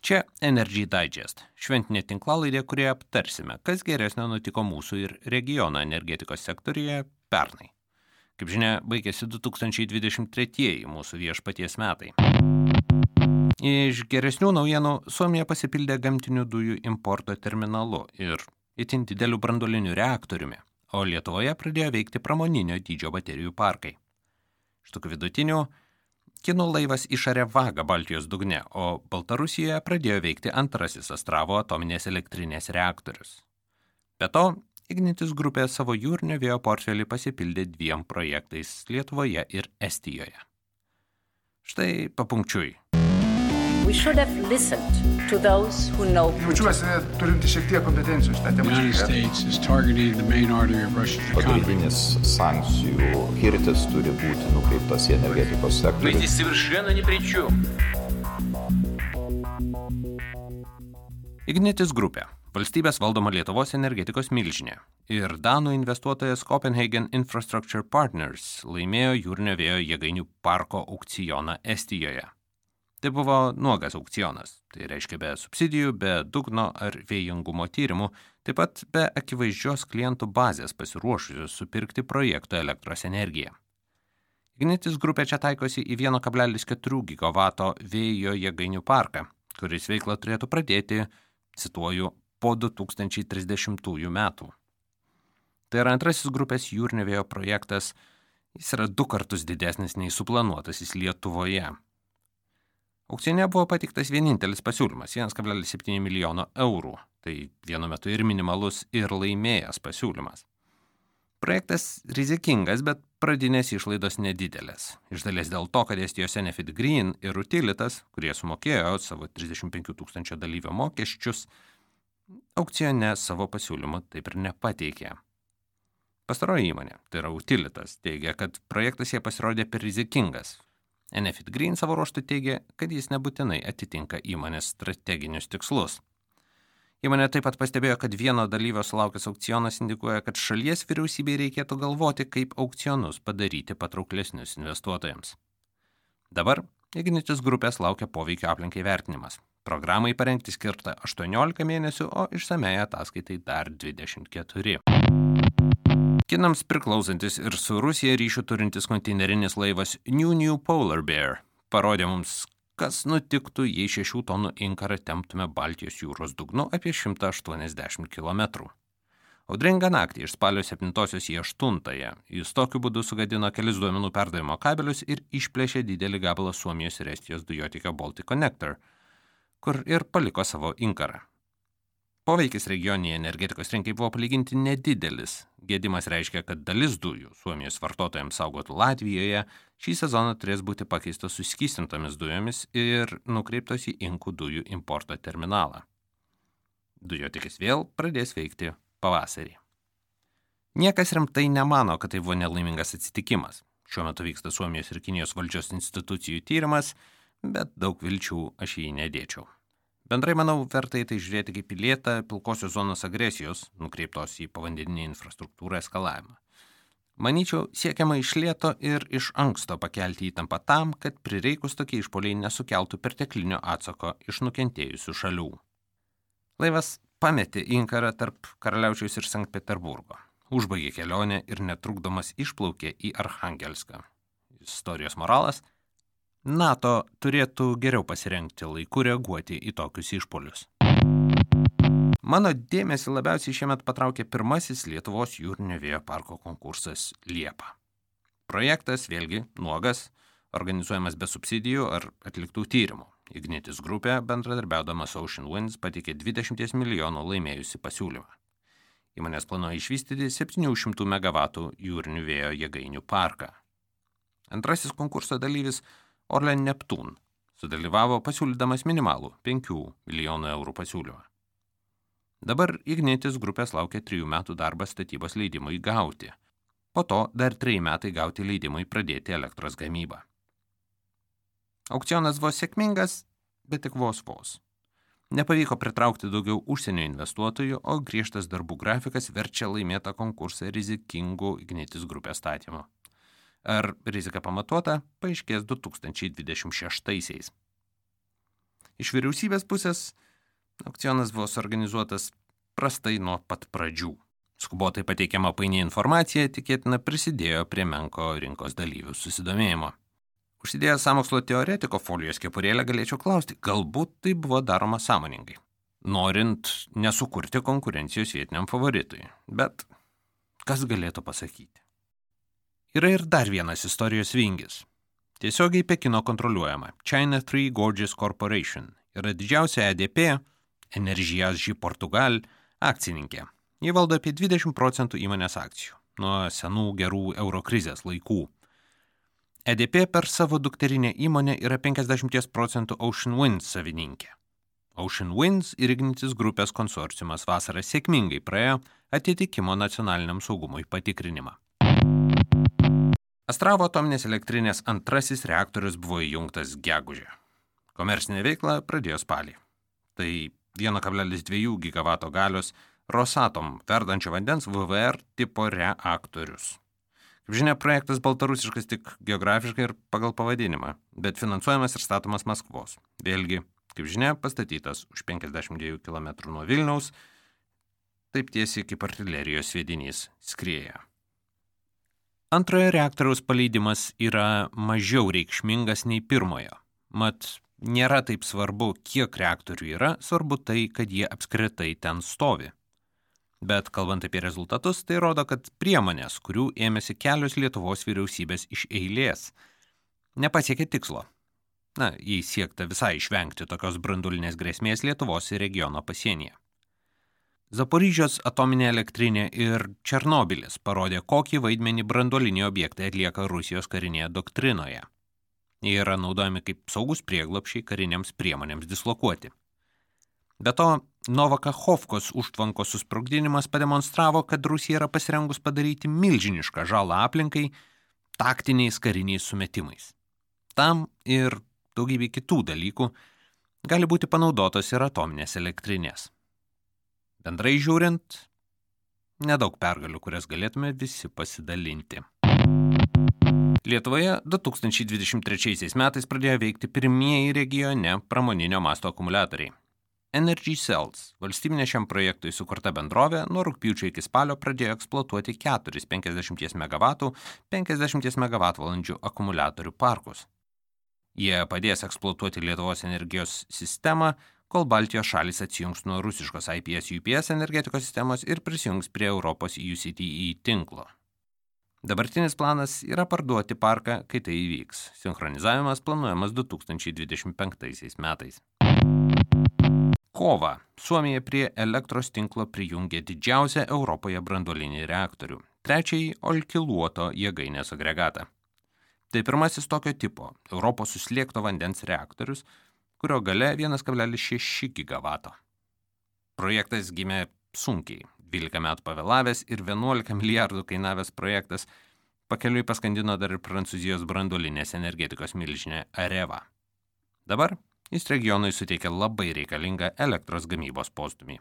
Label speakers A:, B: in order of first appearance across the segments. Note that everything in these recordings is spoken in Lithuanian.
A: Čia Energy Digest, šventinė tinklalaidė, kurioje aptarsime, kas geresnio nutiko mūsų ir regiono energetikos sektoriuje pernai. Kaip žinia, baigėsi 2023 mūsų viešpaties metai. Iš geresnių naujienų Suomija pasipildė gamtinių dujų importo terminalu ir itin dideliu branduoliniu reaktoriumi, o Lietuvoje pradėjo veikti pramoninio dydžio baterijų parkai. Iš tokių vidutinių, kinų laivas išarė vagą Baltijos dugne, o Baltarusijoje pradėjo veikti antrasis Astravo atominės elektrinės reaktorius. Be to, Ignitis grupė savo jūrinio vėjo portfelį pasipildė 2 projektais Lietuvoje ir Estijoje. Štai papunkčiui.
B: We should have listened to those who know Putin.
C: Jaučiuosi turinti šiek tiek kompetencijų šitą temą.
D: The United States is targeting the main artery of Russia's economy.
E: Pagrindinis sankcijų kirtis turi būti nukreiptas į energetikos sektorių.
F: Мы здесь совершенно ни при чем.
A: Ignitis grupė, valstybės valdoma Lietuvos energetikos milžinė ir danų investuotojas Copenhagen Infrastructure Partners laimėjo jūrinio vėjo jėgainių parko aukcioną Estijoje. Tai buvo nuogas aukcionas, tai reiškia be subsidijų, be dugno ar vėjingumo tyrimų, taip pat be akivaizdžios klientų bazės pasiruošusios supirkti projekto elektros energiją. Ignitis grupė čia taikosi į 1,4 gigavato vėjo jėgainių parką, kuris veiklą turėtų pradėti, cituoju, po 2030 metų. Tai yra antrasis grupės jūrinio vėjo projektas, jis yra 2 kartus didesnis nei suplanuotasis Lietuvoje. Aukcione buvo pateiktas vienintelis pasiūlymas – 1,7 milijono eurų, tai vienu metu ir minimalus, ir laimėjęs pasiūlymas. Projektas rizikingas, bet pradinės išlaidos nedidelės. Iš dalies dėl to, kad Estijos Enefit Green ir Utilitas, kurie sumokėjo savo 35 000 dalyvio mokesčius, aukcione savo pasiūlymą taip ir nepateikė. Pastaroji įmonė, tai yra Utilitas, teigia, kad projektas jie pasirodė per rizikingas. Enefit Green savo ruožtu teigia, kad jis nebūtinai atitinka įmonės strateginius tikslus. Įmonė taip pat pastebėjo, kad vieno dalyvio sulaukęs aukcionas indikuoja, kad šalies vyriausybei reikėtų galvoti, kaip aukcionus padaryti patrauklesnius investuotojams. Dabar Ignitis grupės laukia poveikio aplinkai vertinimas. Programai parengti skirta 18 mėnesių, o išsamei ataskaitai dar 24. Kinams priklausantis ir su Rusija ryšių turintis konteinerinis laivas New Polar Bear parodė mums, kas nutiktų, jei 6 tonų inkarą temptume Baltijos jūros dugnu apie 180 km. Audringą naktį iš spalio 7-osios į 8-ąją jis tokiu būdu sugadino kelis duomenų perdavimo kabelius ir išplėšė didelį gabalą Suomijos ir Estijos dujotiekio Baltic Connector, kur ir paliko savo inkarą. Poveikis regioninėje energetikos rinkai buvo palyginti nedidelis. Gedimas reiškia, kad dalis dujų Suomijos vartotojams saugotų Latvijoje šį sezoną turės būti pakeistos suskystintomis dujomis ir nukreiptos į inkų dujų importo terminalą. Dujotiekis vėl pradės veikti pavasarį. Niekas rimtai nemano, kad tai buvo nelaimingas atsitikimas. Šiuo metu vyksta Suomijos ir Kinijos valdžios institucijų tyrimas, bet daug vilčių aš jį nedėčiau. Bendrai, manau, verta į tai žiūrėti kaip į lėtą pilkosios zonos agresijos, nukreiptos į povandeninį infrastruktūrą eskalavimą. Manyčiau, siekiama iš lėto ir iš anksto pakelti įtampą tam, kad prireikus tokie išpuoliai nesukeltų perteklinio atsako iš nukentėjusių šalių. Laivas pametė inkarą tarp Karaliaučiaus ir Sankt Peterburgo, užbaigė kelionę ir netrukdomas išplaukė į Archangelską. Istorijos moralas – NATO turėtų geriau pasirengti laiku reaguoti į tokius išpuolius. Mano dėmesį labiausiai šiemet patraukė pirmasis Lietuvos jūrinio vėjo parko konkursas Liepa. Projektas, vėlgi, nuogas, organizuojamas be subsidijų ar atliktų tyrimų. Ignitis grupė, bendradarbiaudama su Ocean Winds, pateikė 20 milijonų laimėjusi pasiūlymą. Įmonės planuoja išvystyti 700 MW jūrinių vėjo jėgainių parką. Antrasis konkurso dalyvis Orlen Neptun sudalyvavo pasiūlydamas minimalų 5 milijonų eurų pasiūlymą. Dabar Ignitis grupės laukia 3 metų darbas statybos leidimui gauti. Po to dar 3 metai gauti leidimui pradėti elektros gamybą. Aukcionas buvo sėkmingas, bet tik vos. Nepavyko pritraukti daugiau užsienio investuotojų, o griežtas darbų grafikas verčia laimėtą konkursą rizikingų Ignitis grupės statymu. Ar rizika pamatuota, paaiškės 2026-aisiais. Iš vyriausybės pusės aukcionas buvo suorganizuotas prastai nuo pat pradžių. Skubotai pateikiama paini informacija tikėtina prisidėjo prie menko rinkos dalyvių susidomėjimo. Užsidėjęs sąmokslo teoretiko folijos kepurėlę galėčiau klausti, galbūt tai buvo daroma sąmoningai, norint nesukurti konkurencijos vietiniam favoritui. Bet kas galėtų pasakyti? Yra ir dar vienas istorijos vingis. Tiesiogiai Pekino kontroliuojama China Three Gorges Corporation yra didžiausia EDP, Energias Portugal, akcininkė. Jie valdo apie 20% įmonės akcijų nuo senų gerų eurokrizės laikų. EDP per savo dukterinę įmonę yra 50% Ocean Winds savininkė. Ocean Winds ir Ignitis grupės konsorciumas vasarą sėkmingai praėjo atitikimo nacionaliniam saugumui patikrinimą. Astravo atominės elektrinės antrasis reaktorius buvo įjungtas gegužę. Komercinė veikla pradėjo spalį. Tai 1,2 gigavato galios Rosatom verdančio vandens VVR tipo reaktorius. Kaip žinia, projektas baltarusiškas tik geografiškai ir pagal pavadinimą, bet finansuojamas ir statomas Maskvos. Vėlgi, kaip žinia, pastatytas už 52 km nuo Vilniaus, taip tiesiai kaip artilerijos sviedinys skrieja. Antrojo reaktoriaus paleidimas yra mažiau reikšmingas nei pirmojo. Mat, nėra taip svarbu, kiek reaktorių yra, svarbu tai, kad jie apskritai ten stovi. Bet kalbant apie rezultatus, tai rodo, kad priemonės, kurių ėmėsi kelios Lietuvos vyriausybės iš eilės, nepasiekė tikslo. Jei siekta visai išvengti tokios branduolinės grėsmės Lietuvos ir regiono pasienyje. Zaporižės atominė elektrinė ir Černobylis parodė, kokį vaidmenį branduoliniai objektai atlieka Rusijos karinėje doktrinoje. Jie yra naudojami kaip saugus prieglobsčiai karinėms priemonėms dislokuoti. Be to, Novakachovkos užtvankos susprogdinimas pademonstravo, kad Rusija yra pasirengus padaryti milžinišką žalą aplinkai taktiniais kariniais sumetimais. Tam ir daugybė kitų dalykų gali būti panaudotos ir atominės elektrinės. Bendrai žiūrint, nedaug pergalių, kurias galėtume visi pasidalinti. Lietuvoje 2023 metais pradėjo veikti pirmieji regione pramoninio masto akumuliatoriai. Energy Cells, valstybinė šiam projektui sukurta bendrovė, nuo rugpjūčio iki spalio pradėjo eksploatuoti 4 50 MW, 50 MWh akumuliatorių parkus. Jie padės eksploatuoti Lietuvos energijos sistemą, kol Baltijos šalys atsijungs nuo rusiškos IPS-UPS energetikos sistemos ir prisijungs prie Europos UCTE tinklo. Dabartinis planas yra parduoti parką, kai tai įvyks. Sinchronizavimas planuojamas 2025 metais. Kovą Suomija prie elektros tinklo prijungė didžiausią Europoje branduolinį reaktorių, trečiąjį Olkiluoto jėgainės agregatą. Tai pirmasis tokio tipo Europos suslėgto vandens reaktorius, kurio galia 1,6 gigavato. Projektas gimė sunkiai, 12 metų pavėlavęs ir 11 milijardų kainavęs projektas pakeliui paskandino dar ir Prancūzijos branduolinės energetikos milžinę Areva. Dabar jis regionui suteikia labai reikalingą elektros gamybos postūmį.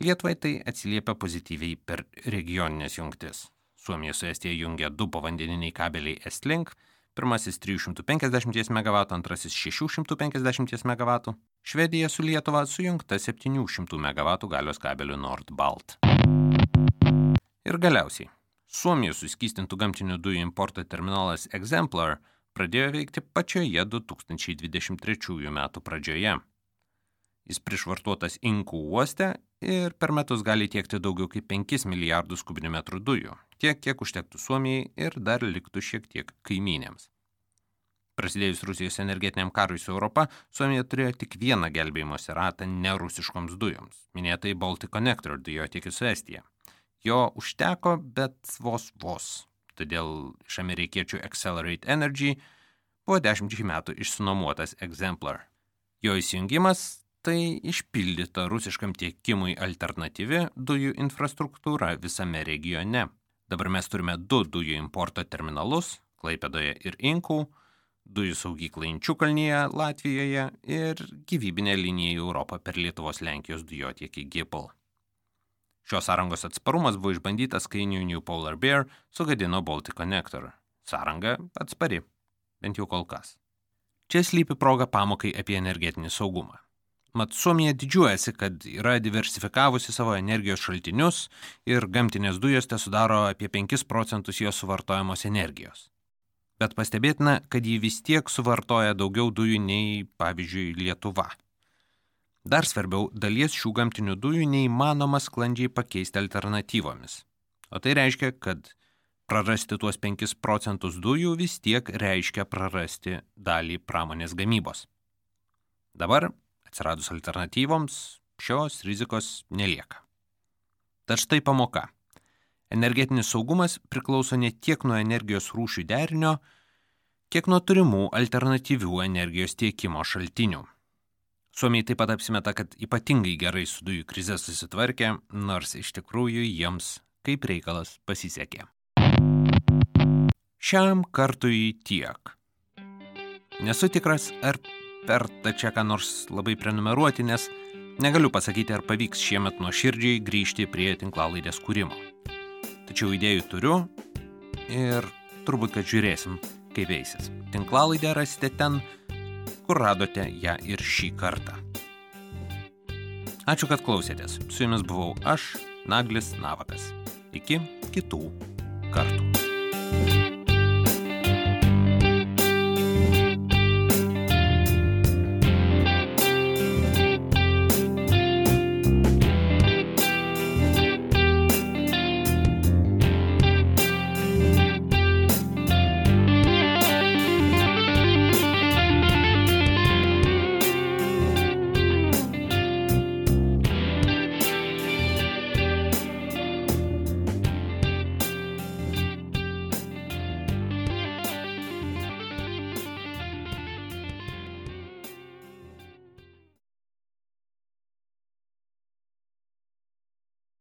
A: Lietuvai tai atsiliepia pozityviai per regioninės jungtis. Suomija su Estija jungia 2 povandeniniai kabeliai Estlink, pirmasis 350 MW, antrasis 650 MW, Švedija su Lietuva sujungta 700 MW galios kabeliu Nord-Balt. Ir galiausiai, Suomijos suskystintų gamtinių dujų importo terminalas Exemplar pradėjo veikti pačioje 2023 metų pradžioje. Jis prišvartuotas Inkų uoste ir per metus gali tiekti daugiau kaip 5 milijardus kubinių metrų dujų, tiek, kiek užtektų Suomijai ir dar liktų šiek tiek kaimynėms. Prasidėjus Rusijos energetiniam karui su Europa, Suomija turėjo tik vieną gelbėjimosi ratą nerusiškoms dujoms, minėtai Baltic Connector dujotiekį su Estija. Jo užteko, bet vos. Todėl iš amerikiečių Accelerate Energy buvo 10 metų išsinuomotas Exemplar. Jo įsijungimas tai išpildyta rusiškam tiekimui alternatyvi dujų infrastruktūra visame regione. Dabar mes turime 2 dujų importo terminalus, Klaipėdoje ir Inkų, dujų saugyklą Inčiukalnyje, Latvijoje ir gyvybinę liniją į Europą per Lietuvos-Lenkijos dujotiekį GIPL. Šios sąrangos atsparumas buvo išbandytas, kai New Polar Bear sugadino Baltic Connector. Sąranga atspari, bent jau kol kas. Čia slypi proga pamokai apie energetinį saugumą. Mat Suomija didžiuojasi, kad yra diversifikavusi savo energijos šaltinius ir gamtinės dujos tesudaro apie 5% jos suvartojamos energijos. Bet pastebėtina, kad ji vis tiek suvartoja daugiau dujų nei, pavyzdžiui, Lietuva. Dar svarbiau, dalies šių gamtinių dujų neįmanoma sklandžiai pakeisti alternatyvomis. O tai reiškia, kad prarasti tuos 5% dujų vis tiek reiškia prarasti dalį pramonės gamybos. Dabar, atsiradus alternatyvoms, šios rizikos nelieka. Tad štai pamoka. Energetinis saugumas priklauso ne tiek nuo energijos rūšių derinio, kiek nuo turimų alternatyvių energijos tiekimo šaltinių. Suomiai taip pat apsimeta, kad ypatingai gerai su dujų krize susitvarkė, nors iš tikrųjų jiems kaip reikalas pasisekė. Šiam kartui tiek. Nesu tikras, ar verta čia ką nors labai prenumeruoti, nes negaliu pasakyti, ar pavyks šiemet nuoširdžiai grįžti prie tinklalaidės kūrimo. Tačiau idėjų turiu ir turbūt, kad žiūrėsim, kaip eisis. Tinklalaidę rasite ten, kur radote ją ir šį kartą. Ačiū, kad klausėtės. Su jumis buvau aš, Naglis Navakas. Iki kitų kartų.